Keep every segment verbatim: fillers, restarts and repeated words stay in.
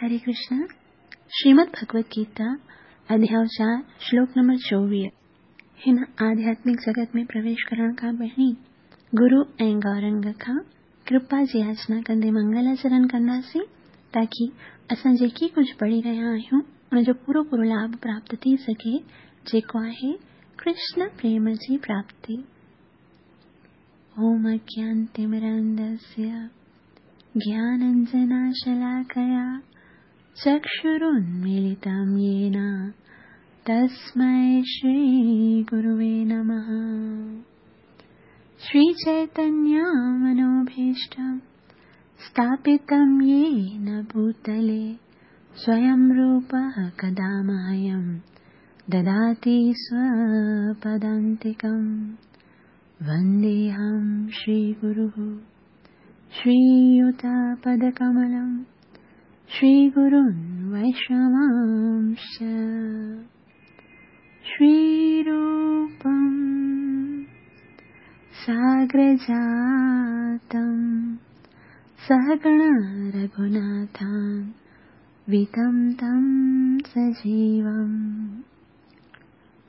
हरे कृष्ण। श्रीमद् भगवत गीता अध्याय चार श्लोक नंबर चोवीह। हिन आध्यात्मिक जगत में प्रवेश करण खां पहिरीं गुरु ऐं गौरंग खां कृपा जी याचना कंदे मंगलाचरण कंदासीं ताकी असां जेकी कुझु पढ़ी रहिया आहियूं उनजो पूरो पूरो लाभ प्राप्त थी सघे, जेको आहे कृष्ण प्रेम जी प्राप्ति। ओम अज्ञानतिमिरान्धस्य ज्ञानाञ्जनशलाकया चक्षुरुन्मीलितं येन तस्मै श्रीगुरुवे नमः। श्रीचैतन्यमनोभीष्टं स्थापितं येन भूतले स्वयं रूपः कदा मह्यं ददाति स्वपदान्तिकं। वन्देऽहं श्रीगुरुः श्रीयुतपदकमलं श्रीगुरुन् वैष्णवांश्च। श्रीरूपं साग्रजातं सहगण रघुनाथान्वितं तं सजीवं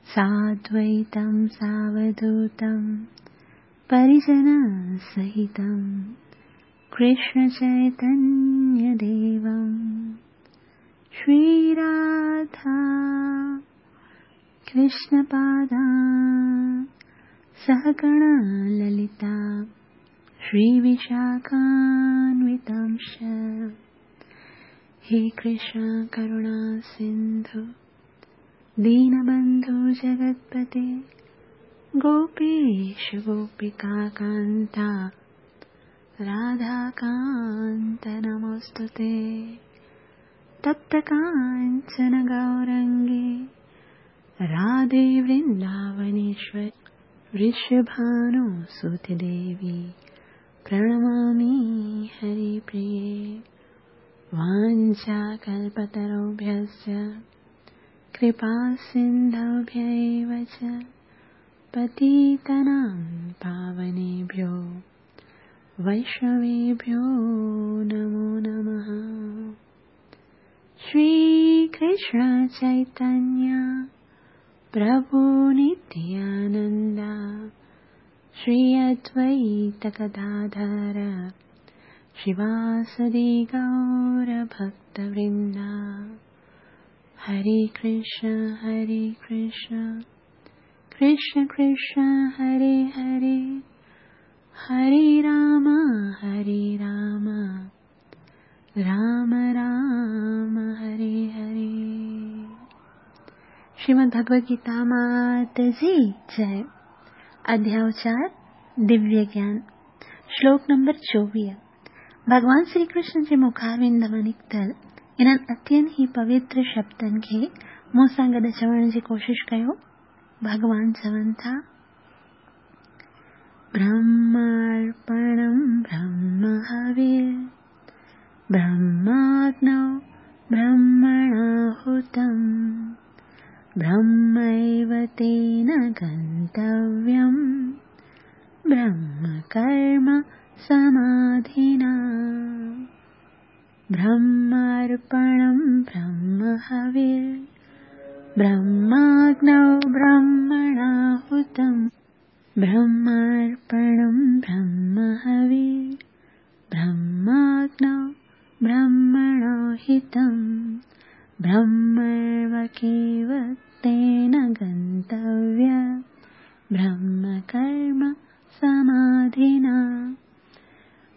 साद्वैतं सावधूतं परिजनसहितं कृष्णचैतन्यदेवं। श्रीराधा कृष्णपादा सहगण ललिता श्रीविशाखान्वितांश्च। हे कृष्ण करुणा सिन्धु दीनबन्धु जगत्पते गोपेश गोपिकान्ता राधाकान्त नमोऽस्तुते। तप्तकाञ्चन गौरङ्गे राधे वृन्दावनेश्वरि वृषभानुसुते देवी प्रणमामि हरिप्रिये। वाञ्छाकल्पतरुभ्यश्च कृपासिन्धुभ्य एव च पतितानां पावनेभ्यो वैष्णवेभ्यो नमो नमः। श्रीकृष्ण चैतन्य प्रभु नित्यानन्द श्री अद्वैत गदाधर श्रीवासदि गौरभक्तवृन्द। हरे कृष्ण हरे कृष्ण कृष्ण कृष्ण हरे हरे, हरे राम हरे राम राम राम हरे हरे। श्रीमद् भगवद गीता मात जी जय। अध्याय चार दिव्य ज्ञान श्लोक नंबर चोवीह। भॻवान श्री कृष्ण जे मुखारविंद मां निकितल इन्हनि अत्यंत ई पवित्र शब्दनि खे मूं सां गॾु चवण जी कोशिशि कयो। भॻवान चवनि था, ब्रह्मार्पणं ब्रह्म हविर् ब्रह्माग्नौ ब्रह्मणाहुतं ब्रह्मैव तेन गन्तव्यं ब्रह्मकर्म समाधिना। ब्रह्मार्पणं ब्रह्म हविर् ब्रह्माग्नौ ब्रह्मणाहुतं ब्रह्मार्पणं ब्रह्म हविर् ब्रह्माग्नौ ब्रह्मणाहितं ब्रह्मैव तेन गन्तव्य ब्रह्मकर्म समाधिना।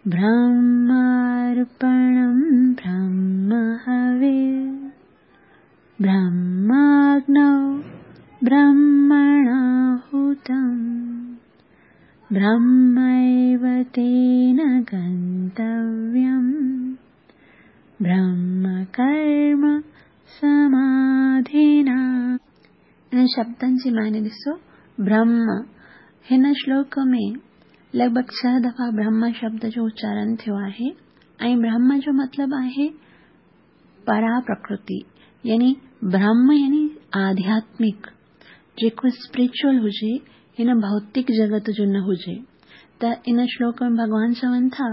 ब्रह्मार्पणं ब्रह्म हविर् ब्रह्माग्नौ ब्रह्मणाहुतं ब्रह्मैव तेन गन्तव्यं ब्रह्मकर्म समाधिना। इन्हनि शब्दनि जी माने ॾिसो, ब्रह्म हिन श्लोक में लॻभॻि छह दफ़ा ब्रह्म शब्द जो उच्चारण थियो आहे ऐं ब्रह्म जो मतिलबु आहे परा प्रकृति, यानी ब्रह्म यानी आध्यात्मिक जेको स्पिरिचुअल हुजे, हिन भौतिक जगत जो न हुजे। त इन श्लोक में भॻवान चवनि था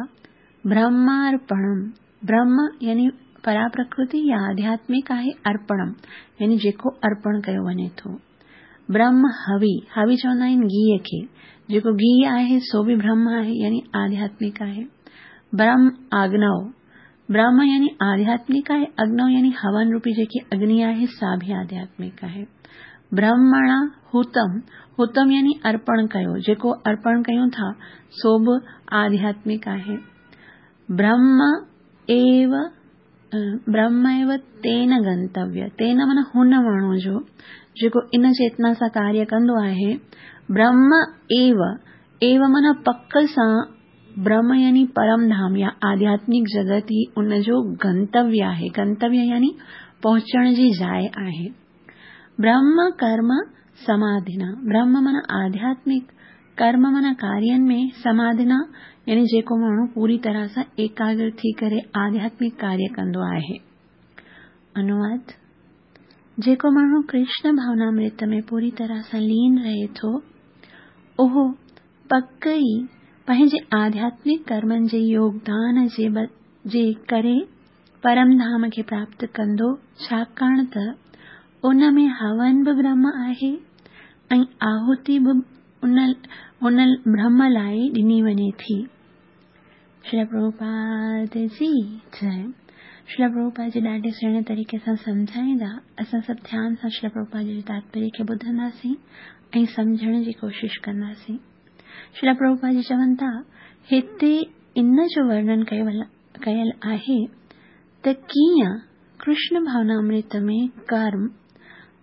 ब्रह्मार्पणम, ब्रह्म यानी परा प्रकृति या आध्यात्मिक आहे अर्पणम यानी जेको अर्पण कयो वञे थो। ब्रह्म हवि, हवि चवंदा आहिनि घीअ खे, जेको घी आहे सो बि ब्रह्म आहे यानी आध्यात्मिक आहे। ब्रह्म आग्नव, ब्रह्म यानी आध्यात्मिक आहे, अग्नव यानी हवन रूपी जेकी अग्नि आहे सा बि आध्यात्मिक आहे। ब्रह्मणा हुतम, हुतम यानी अर्पण कयो, जेको अर्पण कयूं था सो बि आध्यात्मिक आहे। ब्रह्म एव ब्रह्म एव तेन गंतव्य, तेन माना हुन माण्हू जो जेको इन चेतना सां कार्य कंदो आहे। ब्रह्म एव, एव माना पक सां, ब्रह्म यानी परम धाम या आध्यात्मिक जगत ई उनजो गंतव्य आहे। गंतव्य यानी पहुचण जी जाइ आहे। ब्रह्म कर्म समाधिना, ब्रह्म माना आध्यात्मिक, कर्म माना कार्यनि में, समाधिना यानी जेको माण्हू पूरी तरह सां एकाग्र थी करे आध्यात्मिक कार्य कंदो आहे। अनुवाद: जेको माण्हू कृष्ण भावनामृत में पूरी तरह सां लीन रहे थो उहो पक ई पंहिंजे आध्यात्मिक कर्मनि जे योगदान जे, जे करे परम धाम खे प्राप्त कंदो, छाकाणि त उन में हवन बि ब्रह्म आहे ऐं आहुति बि उन उन ब्रह्म लाइ ॾिनी वञे थी। श्रील प्रभुपाद जी जय। श्रील प्रभुपाद जी ॾाढे सुहिणे तरीक़े सां सम्झाईंदा। असां सभु ध्यान सां श्रील प्रभुपाद जी तात्पर्य खे ॿुधंदासीं ऐं सम्झण जी कोशिश कंदासीं। श्रील प्रभुपाद जी चवनि था, हिते इन जो वर्णन कयल आहे त कीअं कृष्ण भावनामृत में कर्म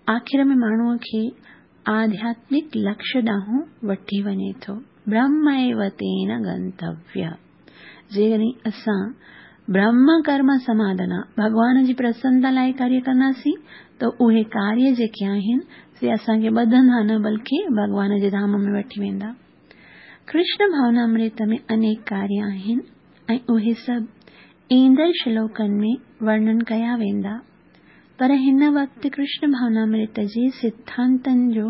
आख़िर में माण्हूअ खे आध्यात्मिक लक्ष्य ॾांहुं वठी वञे थो। ब्रह्म एव तेन गंतव्य, जेकॾहिं असां ब्रह्म कर्म समाधना भॻवान जी प्रसन्नता लाइ कार्य कंदासीं त उहे कार्य जेके आहिनि से असांखे ॿधंदा न बल्कि भॻवान जे धाम में वठी वेंदा। कृष्ण भावनामृत में अनेक कार्य आहिनि ऐं उहे सभु ईंदड़ श्लोकनि में वर्णन कया वेंदा, पर हिन वक़्तु कृष्ण भावनामृत जे सिद्धांतनि जो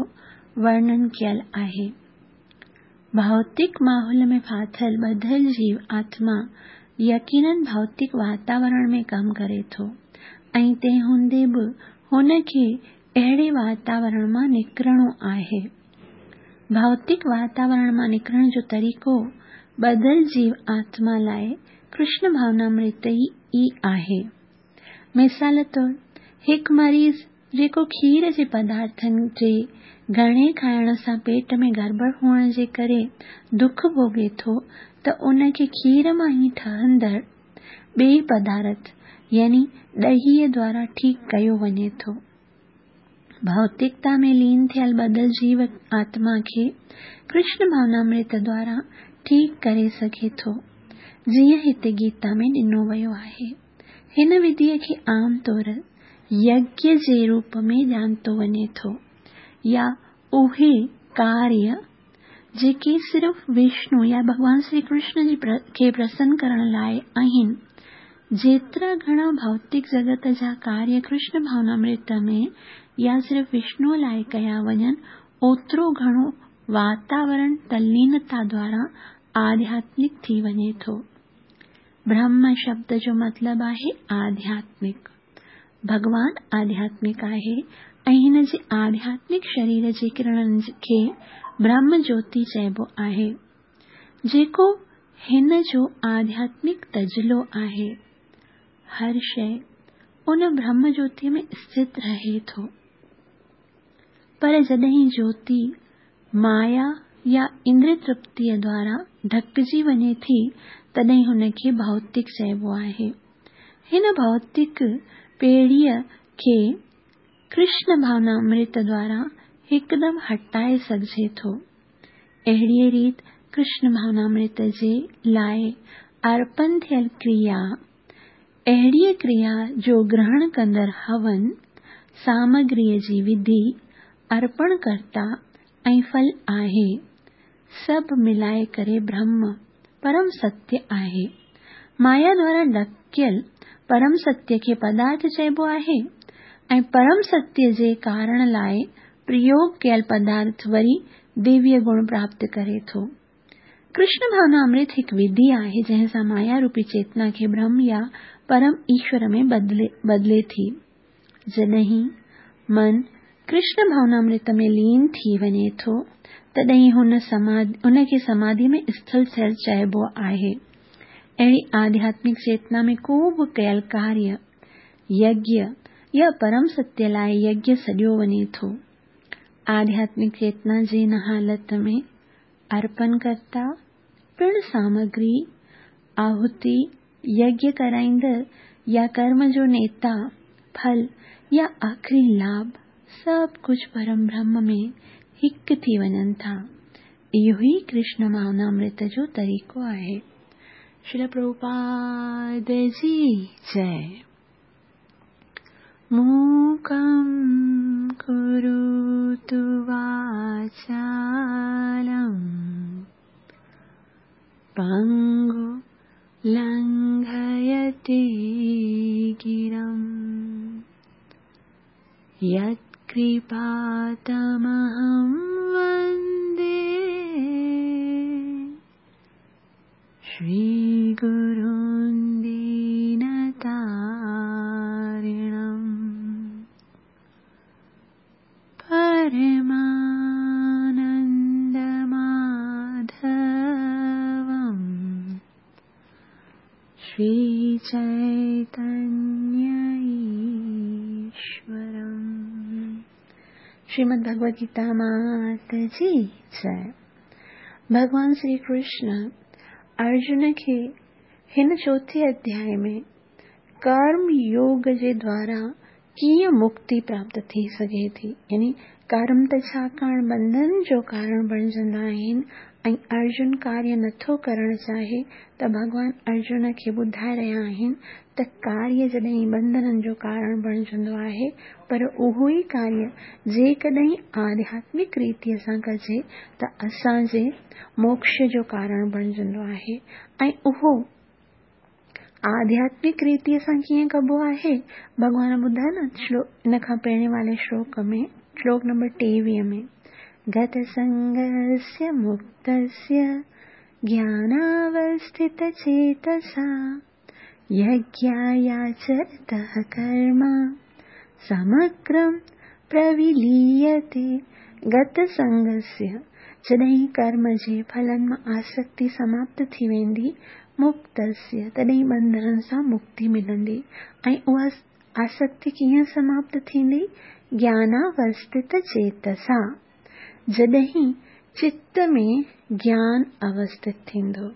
वर्णन कयल आहे। भौतिक माहौल में फाथल ॿधल जीव आत्मा यकीनन भौतिक वातावरण में कमु करे थो ऐं तंहिं हूंदे बि हुनखे अहिड़े वातावरण मां निकिरणो आहे। भौतिक वातावरण मां निकिरण जो तरीक़ो ॿधल जीव आत्मा लाइ कृष्ण भावनामृत ई आहे। मिसाल तौरु, हिकु मरीज़ जेको खीर जे पदार्थनि जे घणे खाइण सां पेट में गड़बड़ हुअण जे करे दुख भोगे थो त उनखे खीर मां ई ठहंदड़ ॿिए पदार्थ यानी ॾहीअ द्वारा ठीकु कयो वञे थो। भौतिकता में लीन थियल ॿधल जीव आत्मा खे कृष्ण भावनामृत द्वारा ठीकु करे सघे थो, जीअं हिते गीता में ॾिनो वियो आहे। हिन विधीअ खे आम तौर यज्ञ जे रूप में ॼाणितो वञे थो या उहे कार्य जेके सिर्फ़ विष्णु या भॻवान श्री कृष्ण जी खे प्रसन्न करण लाइ आहिनि। जेतिरा घणा भौतिक जगत जा कार्य कृष्ण भावनामृत में या सिर्फ़ विष्णु लाइ कया वञनि, ओतिरो घणो वातावरण तल्लीनता द्वारा आध्यात्मिक थी वञे थो। ब्रह्म शब्द जो मतिलबु आहे आध्यात्मिक। भॻवान आध्यात्मिक आहे ऐं हिन जे आध्यात्मिक शरीर जे किरणनि खे ब्रह्म ज्योति चइबो आहे, जेको हिन जो आध्यात्मिक तजलो आहे। हर शइ उन ब्रह्म ज्योति में स्थित रहे थो, पर जॾहिं ज्योति माया या इंद्रिय तृप्तीअ द्वारा ढकजी वञे थी तॾहिं हुनखे भौतिक चइबो आहे। हिन भौतिक पेड़ीअ खे कृष्ण भावनामृत द्वारा हिकदमि हटाए सघिजे थो। अहिड़ीअ रीति कृष्ण भावनामृत जे लाइ अर्पण थियल क्रिया अहिड़ीअ क्रिया जो ग्रहण कंदड़ हवन, सामग्रीअ जी विधि, अर्पणकर्ता ऐं फल आहे, सभु मिलाए करे ब्रह्म परम सत्य आहे। माया द्वारा ढकियल परम सत्य खे पदार्थ चइबो आहे ऐं परम सत्य जे कारण लाइ प्रयोग कयल पदार्थ वरी दिव्य गुण प्राप्त करे थो। कृष्ण भावनामृत हिकु विधि आहे जंहिं सां माया रूपी चेतना खे ब्रह्म या परम ईश्वर में बदिले बदिले थी। जॾहिं मन कृष्ण भावनामृत में लीन थी वञे थो तॾहिं हुन समाधि उनखे समाधि में स्थिर थियल चइबो आहे। अहिड़ी आध्यात्मिक चेतना में को बि कयल कार्य यज्ञ या परम सत्य लाइ यज्ञ सॾियो वञे थो। आध्यात्मिक चेतना जे हिन हालत में अर्पणकर्ता पिणु सामग्री, आहुति, यज्ञ कराईंदड़ या कर्म जो नेता, फल या आख़िरी लाभ सभु कुझु परम ब्रह्म में हिकु थी वञनि था। इहो ई कृष्ण भावनामृत जो तरीक़ो आहे। श्रील प्रभुपाद जी जय। मूकं करोतु वाचालं पंगु लंघयते गिरं यत्कृपातमहं वन्दे श्रीगुरुं दीनतारिणं। परमानन्दमाधवं श्रीचैतन्य ईश्वरम्। श्रीमद् भगवद गीता मात जी जय। भॻवान श्री कृष्ण अर्जुन खे हिन चोथे अध्याय में कर्म योग जे द्वारा कीअं मुक्ति प्राप्त थी सघे थी, यानी कर्म त छाकाणि बंधन जो कारण बणिजंदा आहिनि ऐं अर्जुन कार्य नथो करणु चाहे त भॻवान अर्जुन खे ॿुधाए रहिया आहिनि त कार्य जॾहिं बंधननि जो कारण बणिजंदो आहे, पर उहो ई कार्य जेकॾहिं आध्यात्मिक रीतीअ सां कजे त असांजे मोक्ष जो कारण बणिजंदो आहे। ऐं उहो आध्यात्मिक रीतीअ सां कीअं कबो आहे, भॻवान ॿुधाए न श्लोक इन खां पहिरें वारे श्लोक में, श्लोक नंबर टेवीह में, गतसंगस्य मुक्तस्य ज्ञानावस्थितचेतसा यज्ञायाचरतः कर्म समग्रं प्रविलीयते। गतसंगस्य जॾहिं कर्म जे फलनि मां आसक्ति समाप्त थी वेंदी, मुक्तस्य तॾहिं बंधननि सां मुक्ति मिलंदी। ऐं उहा आसक्ति कीअं समाप्त थींदी? ज्ञानावस्थित चेतसा, जॾहिं चित्त में ज्ञान अवस्थित थींदो।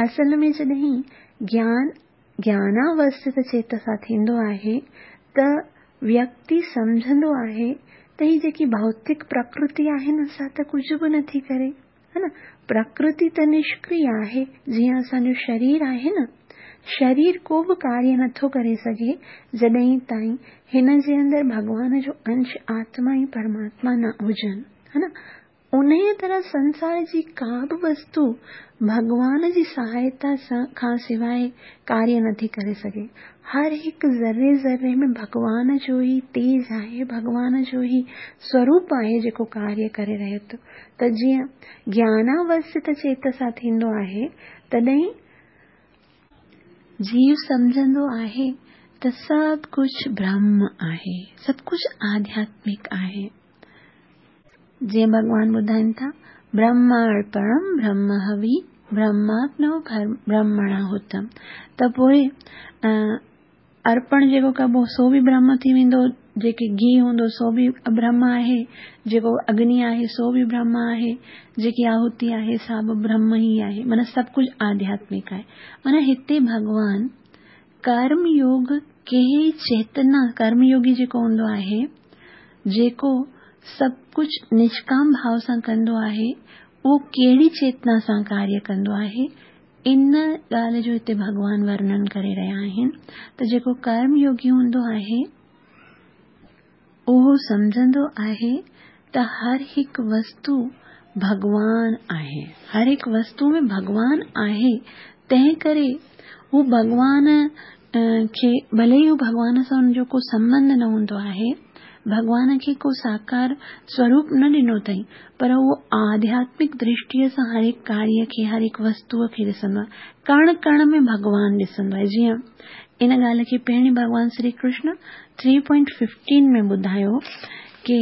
असल में जॾहिं ज्ञान ज्ञानावस्थित चेतसा थींदो आहे त व्यक्ति सम्झंदो आहे त हीअ जेकी भौतिक प्रकृति आहे न, सा त कुझु बि नथी करे, है न। प्रकृति त निष्क्रिय आहे, जीअं असांजो शरीर आहे न, शरीर को बि कार्य नथो करे सघे जॾहिं ताईं हिन जे अंदरि भॻवान जो अंश आत्मा ऐं परमात्मा न हुजनि, है न। उन्हीअ तरह संसार जी का बि वस्तु भॻवान जी सहायता सां खां सवाइ कार्य नथी करे सघे। हर हिकु ज़र्रे ज़र्रे में भॻवान जो ई तेज आहे, भॻवान जो ई स्वरूप आहे जेको कार्य करे रहे थो। त जीअं ज्ञानावस्थित चेतसा थींदो आहे तॾहिं जीव सम्झंदो आहे त सभु कुझु ब्रह्म आहे, सभु कुझु आध्यात्मिक आहे। जीअं भॻवान ॿुधाइनि था, ब्रह्मार्पणं ब्रह्म हवि ब्रह्माग्नौ ब्रह्मणाहुतम्। त पोइ अर्पण जेको कबो सो बि ब्रह्म थी वेंदो, जेके घी हूंदो सो बि ब्रह्म आहे, जेको अग्नि आहे सो बि ब्रह्म आहे, जेकी आहुति आहे सा बि ब्रह्म ई आहे। माना सभु कुझु आध्यात्मिक आहे। माना हिते भॻवान कर्म योग कहिड़ी चेतना, कर्मयोगी जेको हूंदो आहे, जेको सभु कुझु निष्काम भाव सां कंदो आहे, उहो कहिड़ी चेतना सां कार्य कंदो आहे, इन ॻाल्हि जो हिते भॻवान वर्णन करे रहिया आहिनि। त जेको कर्मयोगी हूंदो आहे उहो सम्झंदो आहे त हर हिकु वस्तु भॻवान आहे, हर हिकु वस्तु में भॻवान आहे। तंहिं करे हू भॻवान खे भले ई हू भॻवान सां हुनजो को संबंध न हूंदो आहे, भॻवान खे को साकार स्वरूप न ॾिनो अथई, पर उहो आध्यात्मिक दृष्टीअ सां हर हिकु कार्य खे, हर हिकु वस्तूअ खे ॾिसंदो आहे, कण कण में भॻवान ॾिसंदो आहे। जीअं इन ॻाल्हि खे पहिरीं भॻवान Shri Krishna three point fifteen में ॿुधायो की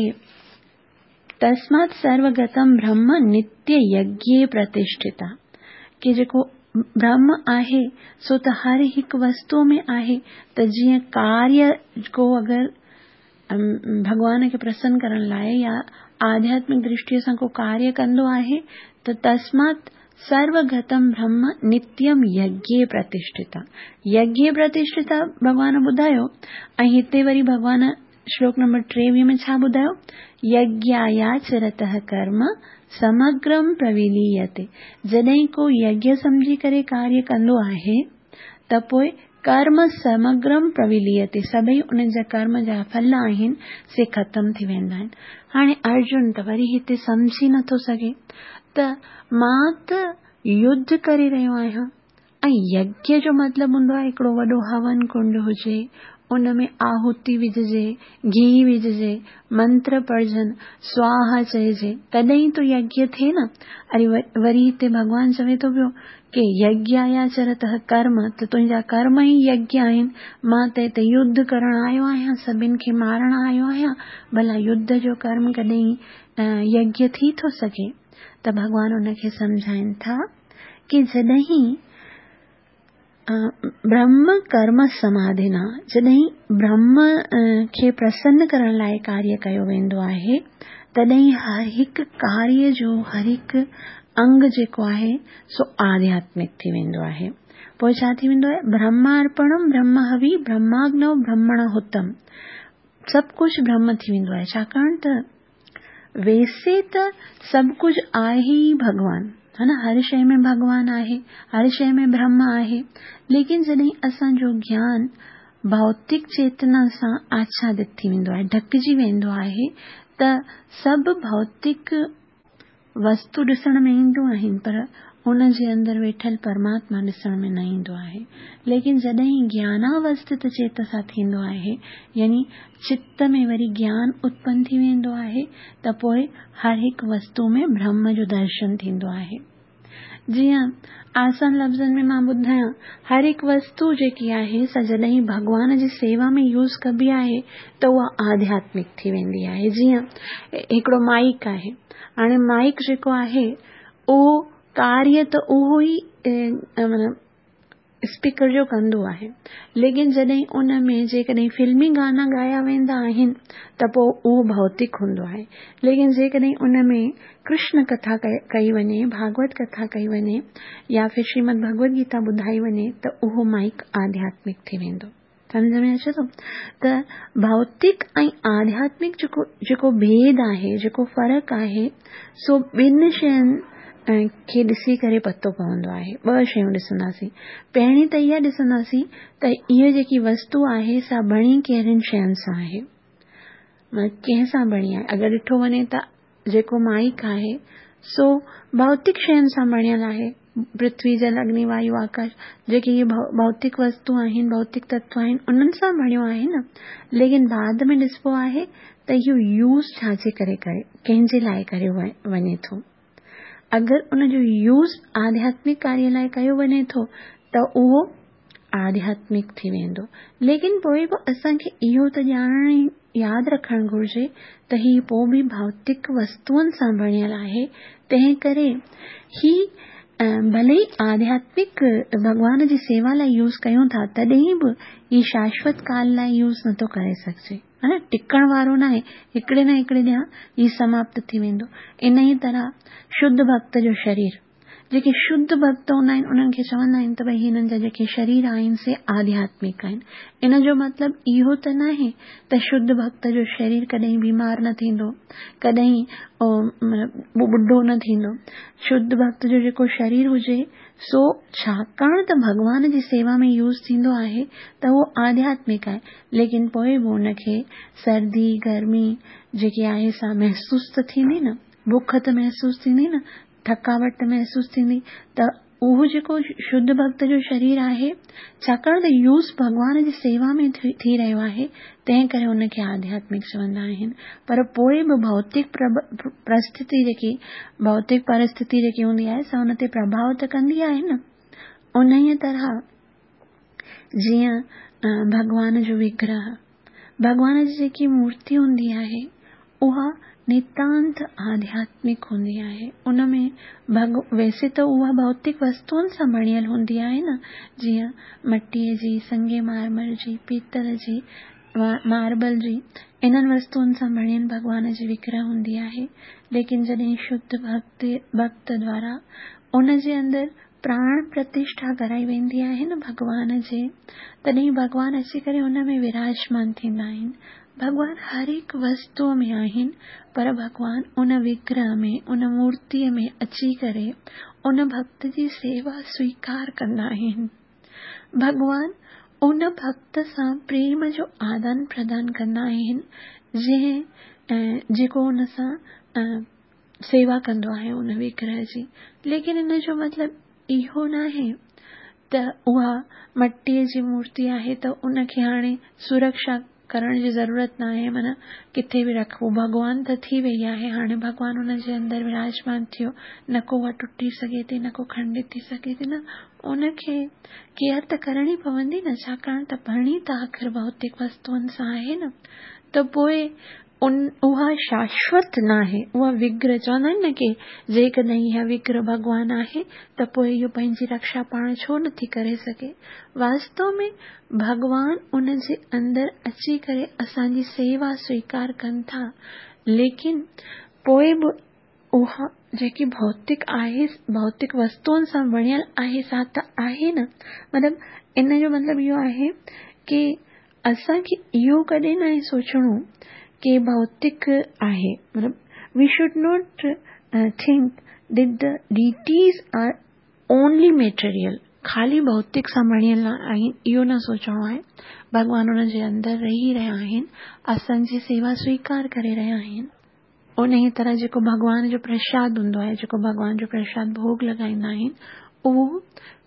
तस्मात् सर्वगतम ब्रह्म नित्य यज्ञे प्रतिष्ठिता, की जेको ब्रह्म आहे सो त हर हिकु वस्तूअ में आहे। त जीअं कार्य को अगरि भॻवान खे प्रसन्न करण लाइ या आध्यात्मिक दृष्टीअ सां को कार्य कंदो आहे त तस्मात् सर्वगतम ब्रह्म नित्यम यज्ञे प्रतिष्ठिता, यज्ञे प्रतिष्ठिता भॻवान ॿुधायो। ऐं हिते वरी भॻवान श्लोक नंबर टेवीह में छा ॿुधायो? यज्ञायाचरतः कर्म समग्रम प्रविलीयते। जॾहिं को यज्ञ सम्झी करे कार्य कंदो आहे त पोइ कर्म समग्रम प्रविलीयते, सभई उन्हनि जा कर्म जा फल आहिनि से ख़तमु थी वेंदा आहिनि। हाणे अर्जुन त वरी हिते सम्झी नथो सघे त मां त युद्ध करे रहियो आहियां ऐं यज्ञ जो मतिलबु हूंदो आहे हिकिड़ो वॾो हवन कुंड हुजे, उन में आहुति विझिजे, घी विझिजे, मंत्र पढ़जनि, स्वाहा चइजे, तॾहिं तो यज्ञ थिए न। अरे वरी हिते भॻवान चवे थो पियो की यज्ञायाचरतः कर्म, त तुंहिंजा कर्म ई यज्ञ आहिनि। मां त हिते युद्ध करण आयो आहियां, सभिनि खे मारण आयो आहियां, भला युद्ध जो कर्म कॾहिं यज्ञ थी थो सघे? त भॻवान उनखे सम्झाइनि था की जॾहिं ब्रह्म कर्म समाधिना, जॾहिं ब्रह्म खे प्रसन्न करण लाइ कार्य कयो वेंदो आहे तॾहिं हर हिकु कार्य जो हर हिकु अंग जेको आहे सो आध्यात्मिक थी वेंदो आहे। पोइ छा थी वेंदो आहे? ब्रह्मार्पणम ब्रह्म हवि ब्रह्माग्नौ ब्रह्मण हुतम, सभु कुझु ब्रह्म थी वेंदो आहे। छाकाणि त वैसे त सभु कुझु आहे ई भॻवान, है न, हर शइ में भॻवान आहे, हर शइ में ब्रह्म आहे। लेकिन जॾहिं असांजो ज्ञान भौतिक चेतना सां आच्छादित थी वेंदो आहे, ढकिजी वेंदो आहे, त सभु भौतिक वस्तु ॾिसण में ईंदियूं आहिनि, पर उन जे अंदरि वेठल परमात्मा ॾिसण में न ईंदो आहे। लेकिन जॾहिं ज्ञानावस्थित चेतसा थींदो आहे, यानी चित्त में वरी ज्ञान उत्पन्न थी वेंदो आहे, त पोइ हर हिकु वस्तू में ब्रह्म जो दर्शन थींदो आहे। जीअं आसान लफ़्ज़नि में मां ॿुधायां, हर हिकु वस्तू जेकी आहे सा जॾहिं भॻवान जी सेवा में यूज़ कबी आहे त उहा आध्यात्मिक थी वेंदी आहे। जीअं हिकिड़ो माइक आहे, हाणे माइक जेको आहे उहो कार्य त उहो ई माना स्पीकर जो कंदो आहे, लेकिन जॾहिं उन में जेकॾहिं फिल्मी गाना ॻाया वेंदा आहिनि त पोइ उहो भौतिक हूंदो आहे। लेकिन जेकॾहिं उन में कृष्ण कथा कई वञे, भागवत कथा कई वञे या फिर श्रीमद भगवत गीता ॿुधाई वञे त उहो माइक आध्यात्मिक थी वेंदो। सम्झ में अचे थो? त भौतिक ऐं आध्यात्मिक जेको जेको भेद आहे, जेको फ़र्क़ु आहे, सो ॿिनि शयुनि खे ॾिसी करे पतो पवंदो आहे। ॿ शयूं ॾिसंदासीं। पहिरीं त इहा ॾिसंदासीं त इहा जेकी वस्तू आहे सा बणी कहिड़ियुनि शयुनि सां आहे, कंहिं सां बणी आहे। अगरि ॾिठो वञे त जेको माइक आहे सो भौतिक शयुनि सां बणियल आहे, पृथ्वी, जल, अग्नि, वायु, आकाश, जेके इहे भौतिक वस्तू आहिनि, भौतिक तत्व आहिनि, उन्हनि सां बणियो आहे न। लेकिन बाद में ॾिसबो आहे त इहो यूज़ छाजे करे करे कंहिंजे लाइ कयो वञे थो। अगरि उनजो यूज़ आध्यात्मिक कार्य लाइ कयो वञे थो त उहो आध्यात्मिक थी वेंदो। लेकिन पोइ बि असांखे इहो त ॼाणण यादि रखणु घुरिजे त हीउ पोइ बि भौतिक वस्तुअनि सां बणियल आहे, तंहिं करे ही भले ई आध्यात्मिक भॻवान जी सेवा लाइ यूज़ कयूं था, तॾहिं बि हीउ शाश्वत काल लाइ यूज़ नथो करे सघिजे, है न, टिकण वारो न आहे, हिकिड़े न हिकिड़े ॾींहुं हीउ समाप्त थी वेंदो। इन ई तरह शुद्ध भक्त जो शरीर, जेके शुद्ध भक्त हूंदा आहिनि उन्हनि खे चवंदा आहिनि त भई हिननि जा जेके शरीर आहिनि से आध्यात्मिक आहिनि। इन जो मतिलबु इहो त न आहे त शुद्ध भक्त जो शरीर कॾहिं बीमार न थींदो, कॾहिं ॿुढो न थींदो। शुद्ध भक्त जो जेको शरीर हुजे सो छाकाणि त भॻवान जी सेवा में यूज़ थींदो आहे त उहो आध्यात्मिक आहे, लेकिन पोइ बि हुनखे सर्दी गर्मी जेकी आहे सा महसूसु त थींदी न, बुख त महसूसु थींदी न, थकावट त महसूसु थींदी, त उहो जेको शुद्ध भक्त जो शरीर आहे, छाकाणि त यूज़ भॻवान जी सेवा में थी रहियो आहे, तंहिं करे उनखे आध्यात्मिक चवंदा आहिनि। पर पोइ बि भौतिक परिस्थिति जेकी भौतिक परिस्थिति जेकी हूंदी आहे सा उन ते प्रभाव त कंदी आहे न। उन तरह जीअं भॻवान जो विग्रह, भॻवान जी जेकी मूर्ति हूंदी आहे उहा नितांत आध्यात्मिक हूंदी आहे। उन में भग वैसे त उहा भौतिक वस्तुनि सां बणियल हूंदी आहे न, जीअं मटीअ जी, संगे मार्मर जी, पीतल जी, मार्बल जी, इन्हनि वस्तुनि सां बणियल भॻवान जी विग्रह हूंदी आहे। लेकिन जॾहिं शुद्ध भक्त भक्त द्वारा उन जे अंदरि प्राण प्रतिष्ठा कराई वेंदी आहे न भॻवान जे, तॾहिं भॻवान अची करे उन में विराजमान थींदा आहिनि। भॻवान हर हिकु वस्तूअ में आहिनि, पर भॻवान उन विग्रह में, उन मूर्तीअ में अची करे उन भक्त जी सेवा स्वीकार कंदा आहिनि। भॻवान उन भक्त सां प्रेम जो आदान प्रदान कंदा आहिनि जंहिं जेको उन सां सेवा कंदो आहे उन विग्रह जी। लेकिन इन जो मतिलबु इहो नाहे त उहा मटीअ जी मूर्ति आहे त उनखे हाणे सुरक्षा करण जी ज़रूरत न आहे, माना किथे बि रखबो, भॻवान त थी वई आहे, हाणे भॻवान उन जे अंदरि विराजमान थियो, न को उहा टुटी सघे थी, न को खंडित थी सघे थी, न उनखे केयर त करणी पवंदी न, छाकाणि त बणी त आख़िर भौतिक वस्तुनि सां आहे न। त पोइ उन उहा शाश्वत न आहे, उहा विग्रह चवंदा आहिनि न की जेकॾहिं इहा विग्रह भॻवान आहे त पोइ इहो पंहिंजी रक्षा पाण छो नथी करे सघे। वास्तव में भॻवान उन जे अंदरि अची करे असांजी सेवा स्वीकार कनि था, लेकिन पोइ बि उहा जेकी भौतिक आहे, भौतिक वस्तुनि सां बणियल आहे सा त आहे न। मतिलबु इन जो मतिलबु इहो आहे की असांखे इहो कॾहिं न आहे सोचणो की भौतिक आहे, मतिलबु we should not think that the deities are only material, ख़ाली भौतिक सां बणियल आहिनि इहो न सोचणो आहे। भॻवान उन जे अंदरि रही रहिया आहिनि, असांजी सेवा स्वीकार करे रहिया आहिनि। उन ई तरह जेको भॻवान जो प्रसाद हूंदो आहे, जेको भॻवान जो प्रसाद भोग लॻाईंदा आहिनि, उहो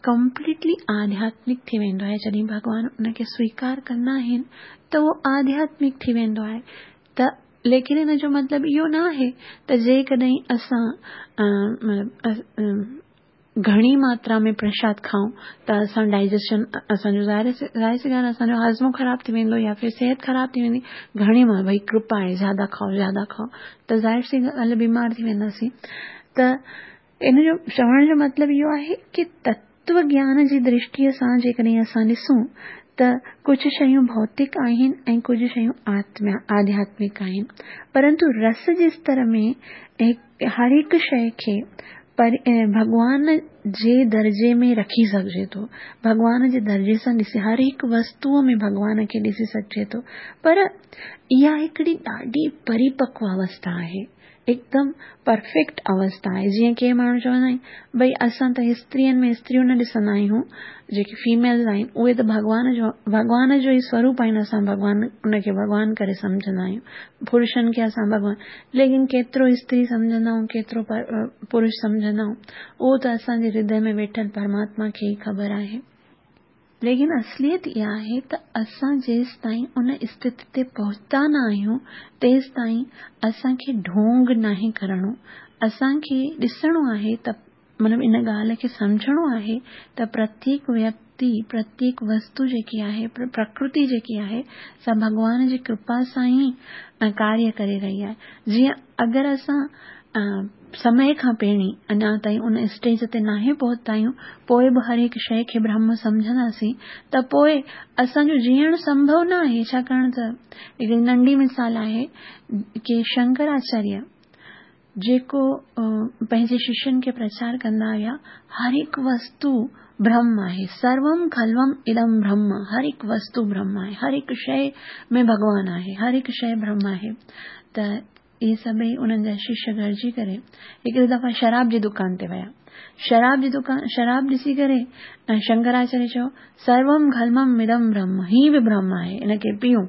कंप्लीटली आध्यात्मिक थी वेंदो आहे। जॾहिं भॻवान उनखे स्वीकार कंदा आहिनि त उहो आध्यात्मिक थी वेंदो आहे। त लेकिन इन जो मतिलबु इहो न आहे त जेकॾहिं असां घणी मात्रा में प्रसाद खाऊं त असां डाइजेशन असांजो ज़ाहिर ज़ाहिर सी ॻाल्हि असांजो हाज़मो ख़राबु थी वेंदो या फिर सिहत ख़राबु थी वेंदी। घणी मां भई कृपा आहे, ज़्यादा खाओ ज़्यादा खाओ, त ज़ाहिर सी ॻाल्हि बीमार थी वेंदासीं। त इन जो चवण जो मतिलबु इहो आहे की तत्व ज्ञान जी दृष्टीअ सां जेकॾहिं असां ॾिसूं त कुझु शयूं भौतिक आहिनि ऐं कुझु शयूं आत्मा आध्यात्मिक आहिनि, परंतु रस जे स्तर में हर हिकु शइ खे पर भॻवान जे दर्जे में रखी सघिजे थो, भॻवान जे दर्जे सां ॾिसी हर हिकु वस्तूअ में भॻवान खे ॾिसी सघिजे थो। पर इहा हिकिड़ी ॾाढी परिपक्व अवस्था आहे, एकदम परफेक्ट अवस्था आहे। जीअं के माण्हू चवंदा आहिनि भई असां त स्त्रियनि में स्त्रियूं न ॾिसंदा आहियूं, जेकी फीमेल्स आहिनि उहे त भॻवान जो भॻवान जो ई स्वरूप आहिनि, असां भॻवान उनखे भॻवान करे सम्झंदा आहियूं, पुरुषनि खे असां भॻवान, लेकिन केतिरो स्त्री सम्झंदा आहियूं, केतिरो पुरुष सम्झंदा आहियूं, उहो त असांजे हृदय में वेठल परमात्मा खे ई ख़बर आहे। लेकिन असलियत इहा आहे त असां जेसि ताईं उन स्थिति ते पहुता न आहियूं तेसि ताईं असांखे ढोंग नाहे करणो। असांखे ॾिसणो आहे त मतिलबु इन ॻाल्हि खे सम्झणो आहे त प्रत्येक व्यक्ति, प्रत्येक वस्तु जेकी आहे, प्रकृति जेकी आहे सा भॻवान जी कृपा सां ई कार्य करे रही आहे। जीअं अगरि असां समय खां पहिरीं अञा ताईं उन स्टेज ते नाहे पहुता आहियूं, पोइ बि हर हिकु शइ खे ब्रह्म सम्झंदासीं त पोइ असांजो जीअणु संभव न आहे। छाकाणि त हिकिड़ी नंढी मिसाल आहे की शंकराचार्य जेको पंहिंजे शिष्यनि खे प्रचार कंदा हुया, हर हिकु वस्तु ब्रह्म आहे, सर्वम खल्वम इदम ब्रह्म, हर हिकु वस्तु ब्रह्म आहे, हर हिकु शइ में भॻवान आहे, हर हिकु शइ ब्रह्म आहे। त इहे सभई उन्हनि जा शिष्य गॾिजी करे हिकिड़ी दफ़ा शराब जी दुकान ते विया। शराब जी दुकान शराब ॾिसी करे शंकराचार्य चयो सर्वम खल्वम इदम ब्रह्म, हीअ बि ब्रह्म आहे, इनखे पीऊं।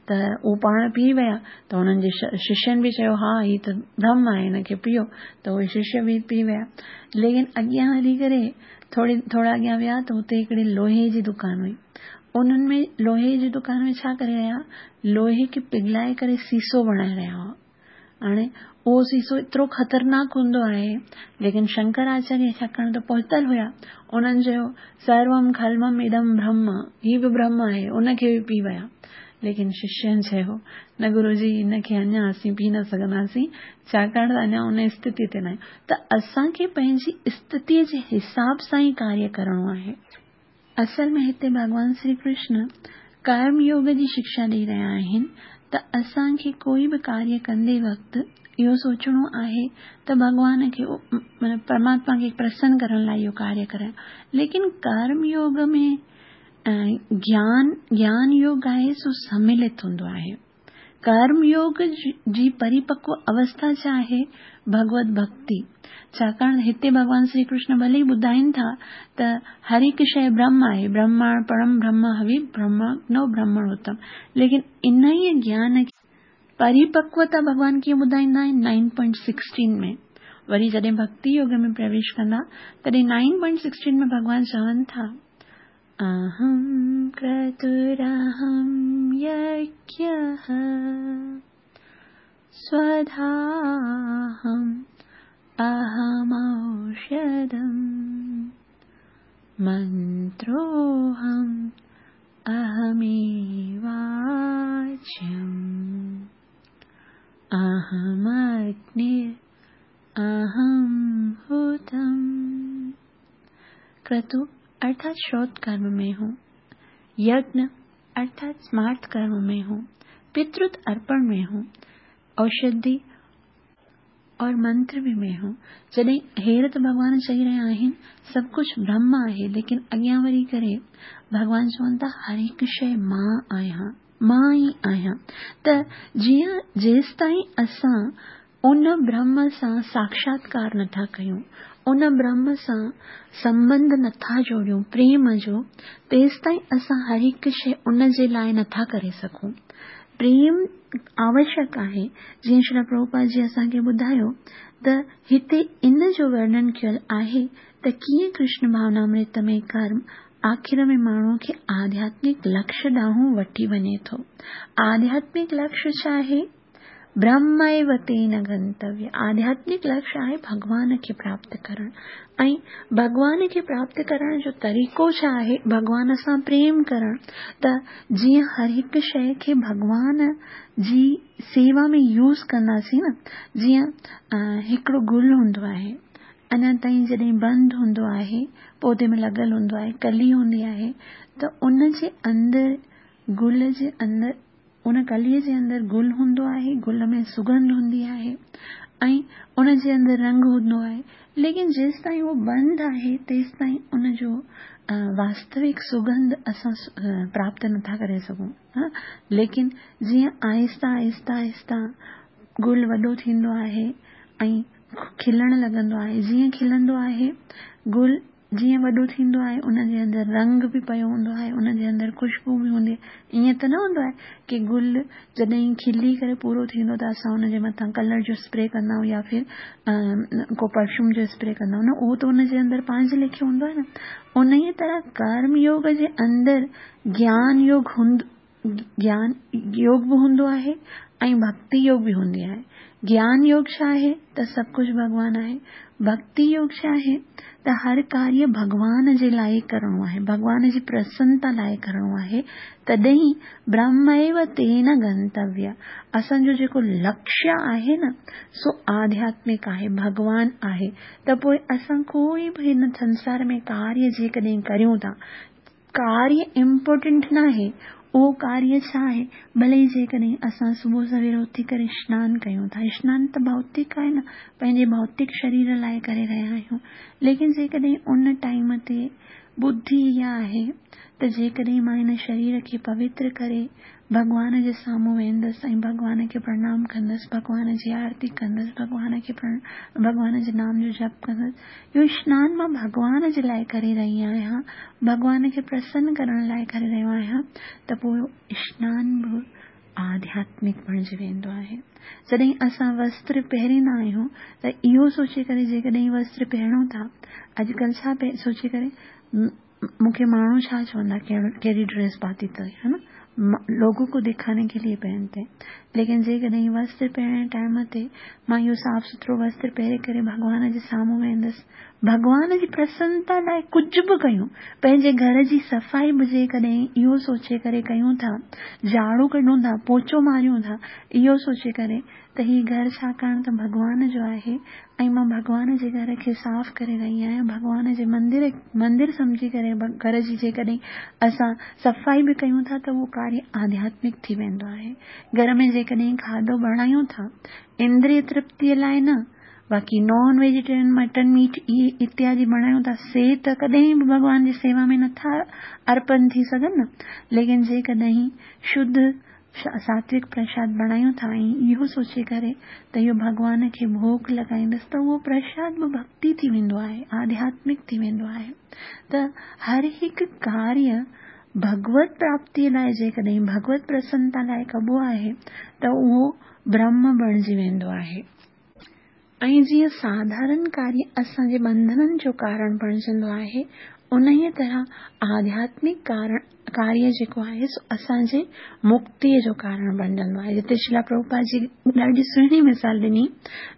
त उहो पाण पी विया त हुननि जे शिष्यनि बि चयो हा हीअ त ब्रह्म आहे, हिनखे पियो। त उहे शिष्य बि पी विया। लेकिन अॻियां हली करे थोरी थोरा अॻियां विया त हुते हिकिड़ी लोहे जी दुकान हुई। उन्हनि में लोहे जी दुकान में छा करे रहिया, लोहे खे पिघलाए करे सीसो बणाए रहिया हुआ। हाणे उहो सीसो एतिरो ख़तरनाक हूंदो आहे, लेकिन शंकराचार्य छाकाणि त पहुतल हुया, उन्हनि चयो सर्वम खल्वम इदम ब्रह्म, हीउ बि ब्रह्म आहे, उनखे बि पी विया। लेकिन शिष्यनि चयो न गुरुजी, हिनखे अञा असीं पी न सघंदासीं, छाकाणि त अञा उन स्थिति ते न आहियूं। त असांखे पंहिंजी स्थितीअ जे हिसाब सां ई कार्य करिणो आहे। असल में हिते भॻवान श्री कृष्ण कर्म योग जी शिक्षा ॾेई रहिया आहिनि त असांखे कोई बि कार्य कंदे वक़्तु इहो सोचणो आहे त भॻवान खे माना परमात्मा खे प्रसन्न करण लाइ इहो कार्य करियां। लेकिन कर्म योग में ज्ञान ज्ञान योग आहे सो सम्मिलित हूंदो आहे। कर्म योग जी परिपक्व अवस्था छा आहे? भगवत भक्ति। छाकाणि हिते भॻवान श्री कृष्ण भले ई ॿुधाइनि था त हर हिकु शइ ब्रह्म आहे, ब्रह्मार्पणम ब्रह्म हवि ब्रह्मणो ब्रह्मण उत्तम, लेकिन इन ई ज्ञान खे परिपक्वता भॻवान कीअं ॿुधाईंदा आहिनि? नाइन पॉइंट सिक्सटीन में। वरी जॾहिं भक्ति योग में प्रवेश कंदा तॾहिं नाइन पॉइंट सिक्सटीन में भॻवान चवनि था अहं क्रतुरहं यज्ञः स्वधाहम् अहमौषधम् मन्त्रोऽहम् अहमेवाच्यम् अहमग्निर् अहं हुतम्। क्रतु अर्थात श्रोत कर्म में हूँ, यज्ञ अर्थात स्मार्त कर्म में हूँ, पितृत अर्पण में हूँ, औषधि और मंत्र भी में हूँ। जॾहिं हेर त भॻवान चई रहिया आहिनि सभु कुझु ब्रह्म आहे, लेकिन अॻियां वरी करे भॻवान चवनि था हर हिकु शइ मां आहियां, मां ई आहियां। त जीअं जेसि ताईं असां उन ब्रह्म सां साक्षात्कार नथा कयूं, उन ब्रह्म सां संबंध नथा जोड़ियूं प्रेम जो, तेसि ताईं असां हर हिकु शइ उन जे लाइ नथा करे सघूं। प्रेम आवश्यक आहे। जीअं श्री प्रभुपाद जी असांखे ॿुधायो त हिते इन जो वर्णन कयल आहे त कीअं कृष्ण भावनामृत में कर्म आख़िर में माण्हूअ खे आध्यात्मिक लक्ष्य ॾांहुं वठी वञे थो। आध्यात्मिक लक्ष्य छा आहे? ब्रह्मैव तेन गंतव्य। आध्यात्मिक लक्ष्य आहे भॻवान खे प्राप्त करणु, ऐं भॻवान खे प्राप्त करण जो तरीक़ो छा आहे? भॻवान सां प्रेम करणु। त जीअं हर हिकु शइ खे भॻवान जी सेवा में यूज़ कंदासीं न, जीअं हिकिड़ो गुल हूंदो आहे, अञा ताईं जॾहिं बंदि हूंदो आहे, पौधे में लॻल हूंदो आहे, कली हूंदी आहे, त उन जे अंदरि गुल जे अंदरि उन कलीअ जे अंदरि गुल हूंदो आहे, गुल में सुगंध हूंदी आहे ऐं उन जे अंदरि रंग हूंदो आहे। लेकिन जेसि ताईं उहो बंदि आहे तेसि ताईं उनजो वास्तविक सुगंध असां प्राप्त नथा करे सघूं। लेकिन जीअं आहिस्ता आहिस्ता आहिस्ता गुल वॾो थींदो आहे ऐं खिलणु लॻंदो आहे, जीअं खिलंदो आहे गुल, जीअं वॾो थींदो आहे उन जे अंदरि रंग बि पियो हूंदो आहे, उन जे अंदरि ख़ुशबू बि हूंदी आहे। ईअं त न हूंदो आहे की गुल जॾहिं खिली करे पूरो थींदो त असां उनजे मथां कलर जो स्प्रे कंदा आहियूं या फिर को परफ्यूम जो स्प्रे कंदा आहियूं, न, उहो त उनजे अंदरि पंहिंजे लेखे हूंदो आहे न। उन ई तरह कर्म योग जे अंदरि ज्ञान योग हूंदो, ज्ञान योग बि हूंदो आहे ऐं भक्ति योग बि हूंदी आहे। ज्ञान योग छा आहे? त सभु कुझु भॻवान आहे। भक्ति योग छा आहे? त हर कार्य भॻवान जे लाइ करिणो आहे, भॻवान जी प्रसन्नता लाइ करिणो आहे। तॾहिं ब्रह्मैव तेन गंतव्य। असांजो जेको लक्ष्य आहे न सो आध्यात्मिक आहे, भॻवान आहे। त पोइ असां कोई बि हिन संसार में कार्य जेकॾहिं करियूं था, कार्य इम्पोर्टेंट न आहे, उहो कार्य छा आहे? भले ई जेकॾहिं असां सुबुह सवेर उथी करे सनानु कयूं था, सनानु त भौतिक आहे न, पंहिंजे भौतिक शरीर लाइ करे रहिया आहियूं, लेकिन जेकॾहिं उन टाइम ते बुद्धि इहा आहे त जेकॾहिं मां हिन शरीर खे पवित्र करे भॻवान जे साम्हूं वेंदुसि ऐं भॻवान खे प्रणाम कंदुसि, भॻवान जी आरती कंदुसि, भॻवान खे भॻवान जे नाम जो जप कंदुसि, इहो सनानु मां भॻवान जे लाइ करे रही आहियां, भॻवान खे प्रसन्न करण लाइ करे रहियो आहियां, त पोइ सनानु बि आध्यात्मिक आध्यात्मिक बणिजी वेंदो आहे। जॾहिं असां वस्त्र पहिरींदा आहियूं त इहो सोचे करे जेकॾहिं वस्त्र पहिरूं था, अॼुकल्ह छा सोचे करे मूंखे माण्हू छा चवंदा कहिड़ी ड्रेस पाती अथई, है न, लोगों को दिखाने के लिए पहनते हैं। लेकिन जेकॾहिं वस्त्र पहिरण टाइम ते मां इहो साफ़ सुथरो वस्त्र पहिरे करे भॻवान जे साम्हूं वेंदुसि, भॻवान जी प्रसन्नता लाइ कुझु बि कयूं, पंहिंजे घर जी सफ़ाई बि जेकॾहिं इहो सोचे करे कयूं था, झाड़ू कढूं था, पोचो मारियूं था, इहो सोचे करे त हीउ घर छाकाणि त भॻवान जो आहे ऐं मां भॻवान जे घर खे साफ़ करे रही आहियां, भॻवान जे मंदिर मंदिर सम्झी करे घर जी जेकॾहिं असां सफ़ाई बि कयूं था त उहो कार्य आध्यात्मिक थी वेंदो आहे। घर में जेकॾहिं खाधो बणायूं था इंद्रिय तृप्तीअ लाइ न, बाक़ी नॉन वेजिटेरियन मटन मीट इहे इत्यादि बणायूं था से त कॾहिं बि भॻवान जी सेवा में नथा अर्पण थी सघनि न। लेकिन जेकॾहिं शुद्ध सात्विक प्रसाद बणायूं था ऐं इहो सोचे करे त इहो भॻवान खे भोग लॻाईंदसि त उहो प्रसाद बि भक्ति थी वेंदो आहे, आध्यात्मिक थी वेंदो आहे। त हर हिकु कार्य भगवत प्राप्तीअ लाइ जेकॾहिं भगवत प्रसन्नता लाइ कबो आहे त उहो ब्रह्म बणिजी वेंदो आहे। ऐं जीअं साधारण कार्य असांजे बंधननि जो कारण बणिजंदो आहे, उन तरह आध्यात्मिक कारण कार्य जेको आहे सो असांजे मुक्तीअ जो कारण बणिजंदो आहे। जिते श्रील प्रभुपाद जी ॾाढी सुहिणी मिसाल ॾिनी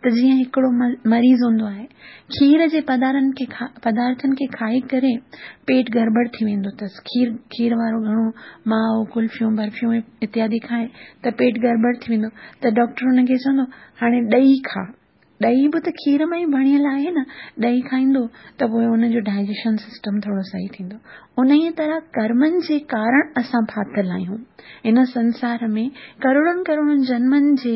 त जीअं हिकिड़ो मरीज़ हूंदो आहे, खीर जे पदार्थनि खे पदार्थनि खे खाई करे पेट गड़बड़ थी वेंदो अथसि, खीर खीर वारो घणो माओ कुल्फियूं बर्फियूं इत्यादि खाए त पेट गड़बड़ थी वेंदो, त डॉक्टर हुनखे चवंदो हाणे ॾही खा, ॾही बि त खीर मां ई बणियल आहे न, ॾही खाईंदो त पोइ हुनजो डाइजेशन सिस्टम थोरो सही थींदो। उन ई तरह कर्मनि जे कारण असां फाथिल आहियूं हिन संसार में, करोड़नि करोड़नि जन्मनि जे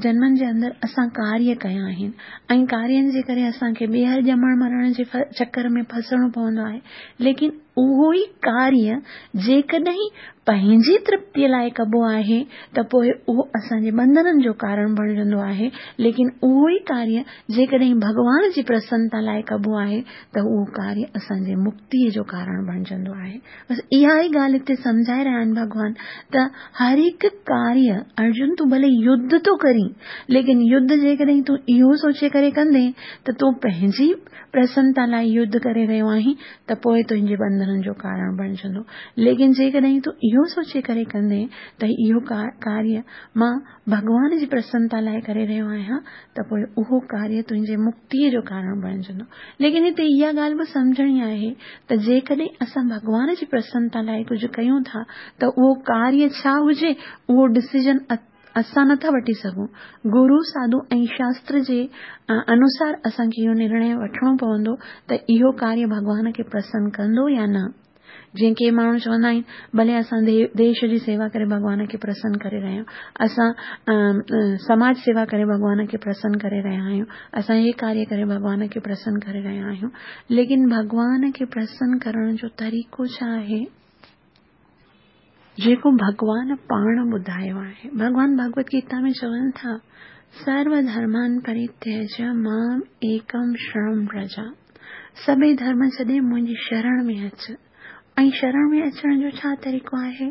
जन्मनि जे अंदरि असां कार्य कया आहिनि ऐं कार्यनि जे करे असांखे ॿीहर ॼमण मरण जे चक्कर में फसणो पवंदो आहे। लेकिन उहो ई कार्य जेकॾहिं पंहिंजी तृप्तीअ लाइ कबो आहे त पोइ उहो असांजे बंधननि जो कारण बणिजंदो आहे। लेकिन उहो ई कार्य जेकॾहिं भॻवान जी प्रसन्नता लाइ कबो आहे त उहो कार्य असांजे मुक्तीअ जो कारण बणिजंदो आहे। बसि इहा ई ॻाल्हि हिते सम्झाए रहिया आहिनि भॻवान त हर हिकु कार्य, अर्जुन तूं भले युद्ध थो करीं, लेकिन युद्ध जेकॾहिं तूं इहो सोचे करे कंदे त तूं पंहिंजी प्रसन्नता लाइ युद्ध करे रहियो आहीं त पोइ तुंहिंजे बंधननि जो कारण बणिजंदो। लेकिन जेकॾहिं तूं इहो सोचे करे कंदे त इहो कार्य मां भॻवान जी प्रसन्नता लाइ करे रहियो आहियां त पोइ उहो कार्य तुंहिंजे मुक्तीअ जो कारण बणिजंदो। लेकिन हिते इहा ॻाल्हि बि सम्झणी आहे त जेकॾहिं असां भॻवान जी प्रसन्नता लाइ कुझु कयूं था त उहो कार्य छा हुजे उहो डिसीजन असां नथा वठी सघूं, गुरू साधू ऐं शास्त्र जे अनुसार असांखे इहो निर्णय वठिणो पवंदो त इहो कार्य भॻवान खे प्रसन्न कंदो या न। जीअं के माण्हू चवंदा आहिनि भले असां देश जी सेवा करे भॻवान खे प्रसन्न करे रहिया आहियूं, असां समाज सेवा करे भॻवान खे प्रसन्न करे रहिया आहियूं, असां हे कार्य करे भॻवान खे प्रसन्न करे रहिया आहियूं, लेकिन भॻवान खे प्रसन्न करण जो तरीक़ो छा आहे जेको भॻवान पाण ॿुधायो आहे। भॻवान भगवत गीता में चवनि था सर्व धर्मान परित्यज्य माम एकम शरण व्रज, सभई धर्म छॾे मुंहिंजी शरण में अच। ऐं शरण में अचण जो छा तरीक़ो आहे?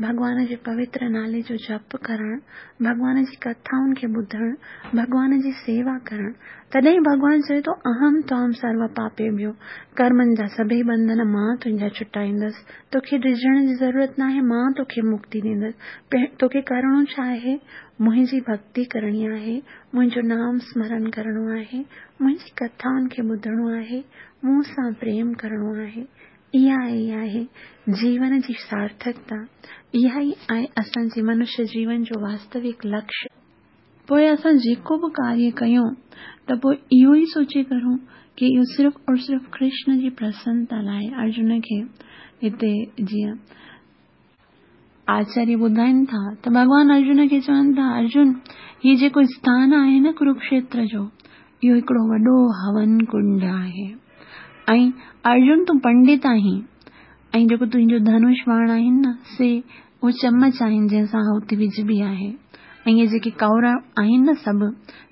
भॻवान जे पवित्र नाले जो जप करणु, भॻवान जी कथाउनि खे ॿुधणु, भॻवान जी सेवा करणु। तॾहिं भॻवान चए थो अहम त्वाम सर्व पापेभ्यो, कर्मनि जा सभई बंधन मां तुंहिंजा छुटाईंदसि, तोखे डिॼण जी ज़रूरत न आहे, मां तोखे मुक्ति ॾींदसि। तोखे करिणो छा आहे? मुंहिंजी भक्ति करणी आहे, मुंहिंजो नाम स्मरण करिणो आहे, मुंहिंजी कथाउनि खे ॿुधणो आहे, मूं सां प्रेम करिणो आहे। इहा ई आहे जीवन जी सार्थकता, इहा ई आहे असांजे मनुष्य जीवन जो वास्तविक लक्ष्य। पोइ असां जेको बि कार्य कयूं त पोइ इहो ई सोचे करूं कि इहो सिर्फ़ और सिर्फ़ कृष्ण जी प्रसन्नता लाइ। अर्जुन खे हिते जीअं आचार्य ॿुधाइनि था त भॻवान अर्जुन खे चवनि था, अर्जुन हीउ जेको स्थान आहे न कुरुक्षेत्र जो, इहो हिकिड़ो वॾो हवन कुंड आहे ऐं अर्जुन तूं पंडित आहीं ऐं जेको तुंहिंजो धनुष बाण आहिनि न से उहे चमच आहिनि जंहिंसां आहुति विझबी आहे ऐं इहे जेके कौर आहिनि न सभु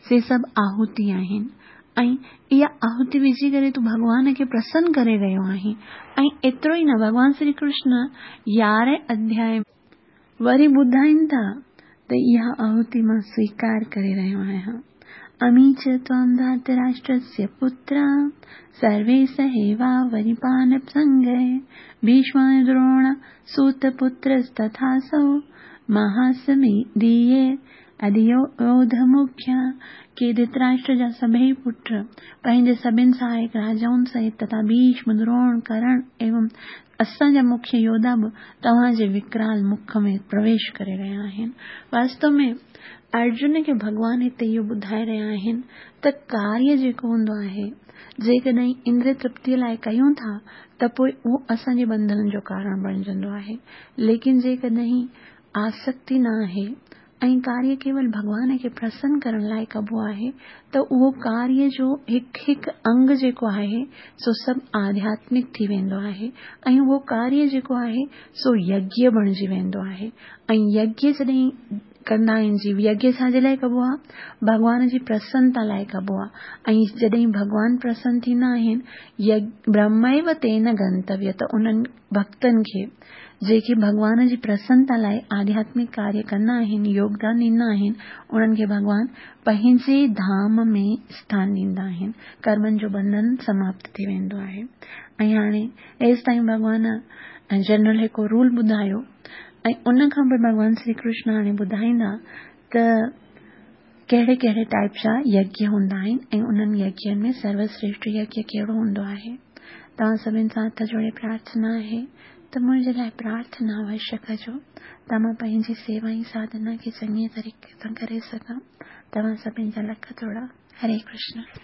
से सभु आहुति आहिनि ऐं इहा आहुति विझी करे तूं भॻवान खे प्रसन्न करे रहियो आहीं। ऐं एतिरो ई न, भॻवान श्री कृष्ण यारहें अध्याय वरी ॿुधाइनि था त इहा आहुति मां स्वीकार करे रहियो आहियां। अमी च त्वां धार्तराष्ट्रस्य पुत्रा सर्वे सहेवा वरिपानसङ्गे भीष्म द्रोण सूतपुत्रस्तथासौ महासमीदीये अधियोधमुख्या। के धृतराष्ट्र जा सभई पुट पंहिंजे सभिनि सहायक राजाउनि सहित तथा भीष्म, द्रोण, कर्ण एवं असांजा मुख्य योद्धा बि तव्हांजे विकराल मुख में प्रवेश करे रहिया आहिनि। वास्तव में अर्जुन खे भॻवान हिते इहो ॿुधाए रहिया आहिनि त कार्य जेको हूंदो आहे, जेकॾहिं इंद्रिय तृप्तीअ लाइ कयूं था त पोइ उहो असांजे बंधन जो कारण बणिजंदो आहे। लेकिन जेकॾहिं आसक्ति न आहे ऐं कार्य केवल भॻवान खे प्रसन्न करण लाइ कबो आहे त उहो कार्य जो हिकु हिकु अंग जेको आहे सो सभु आध्यात्मिक थी वेंदो आहे ऐं उहो कार्य जेको आहे सो यज्ञ बणिजी वेंदो आहे। ऐं यज्ञ जॾहिं कंदा आहिनि जीव, यज्ञ छाजे लाइ कबो आहे? भॻवान जी प्रसन्नता लाइ कबो आहे। ऐं जॾहिं भॻवान प्रसन्न थींदा आहिनि, ब्रह्मैव तेन गंतव्य, त उन्हनि भक्तनि खे जेके भॻवान जी प्रसन्नता लाइ आध्यात्मिक कार्य कंदा आहिनि, योगदान ॾींदा आहिनि, उन्हनि खे भॻवान पंहिंजे धाम में स्थान ॾींदा आहिनि। कर्मनि जो बंधन समाप्त थी वेंदो आहे। ऐं हाणे हेसि ताईं भॻवान जनरल हिकु रूल ॿुधायो ऐं उन खां पोइ भॻवान श्री कृष्ण हाणे ॿुधाईंदा त कहिड़े कहिड़े टाइप जा यज्ञ हूंदा आहिनि ऐं उन्हनि यज्ञनि में सर्वश्रेष्ठ यज्ञ कहिड़ो हूंदो आहे। तव्हां सभिनि सां हथ जोड़े प्रार्थना आहे त मुंहिंजे लाइ प्रार्थना अवश्य कजो त मां पंहिंजी सेवा ऐं साधना खे चङे तरीक़े सां करे सघां। तव्हां सभिनि जा लख थोरा। हरे कृष्ण।